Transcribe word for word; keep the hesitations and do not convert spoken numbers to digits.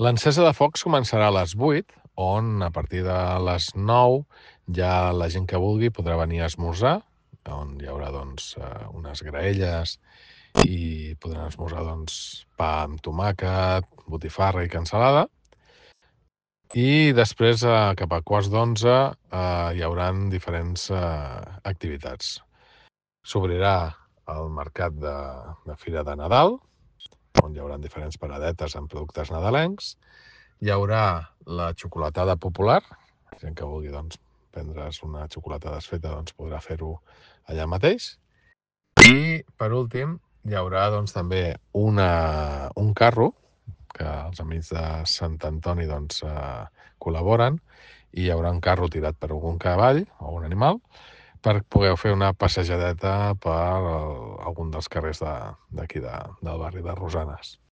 L'encesa de focs començarà a les vuit, on a partir de les nou ja la gent que vulgui podrà venir a esmorzar, on hi haurà doncs, unes graelles i podran esmorzar doncs, pa amb tomàquet, botifarra i cansalada. I després, cap a quarts d'onze, hi haurà diferents activitats. S'obrirà el mercat de, de Fira de Nadal, on hi haurà diferents paradetes amb productes nadalencs. Hi haurà la xocolatada popular, la gent que vulgui doncs, prendre's una xocolatada desfeta doncs, podrà fer-ho allà mateix. I, per últim, hi haurà doncs, també una, un carro, que els amics de Sant Antoni doncs, eh, col·laboren, i hi haurà un carro tirat per algun cavall o un animal per poder fer una passejadeta per el, algun dels carrers d'aquí de, del barri de Rosanes.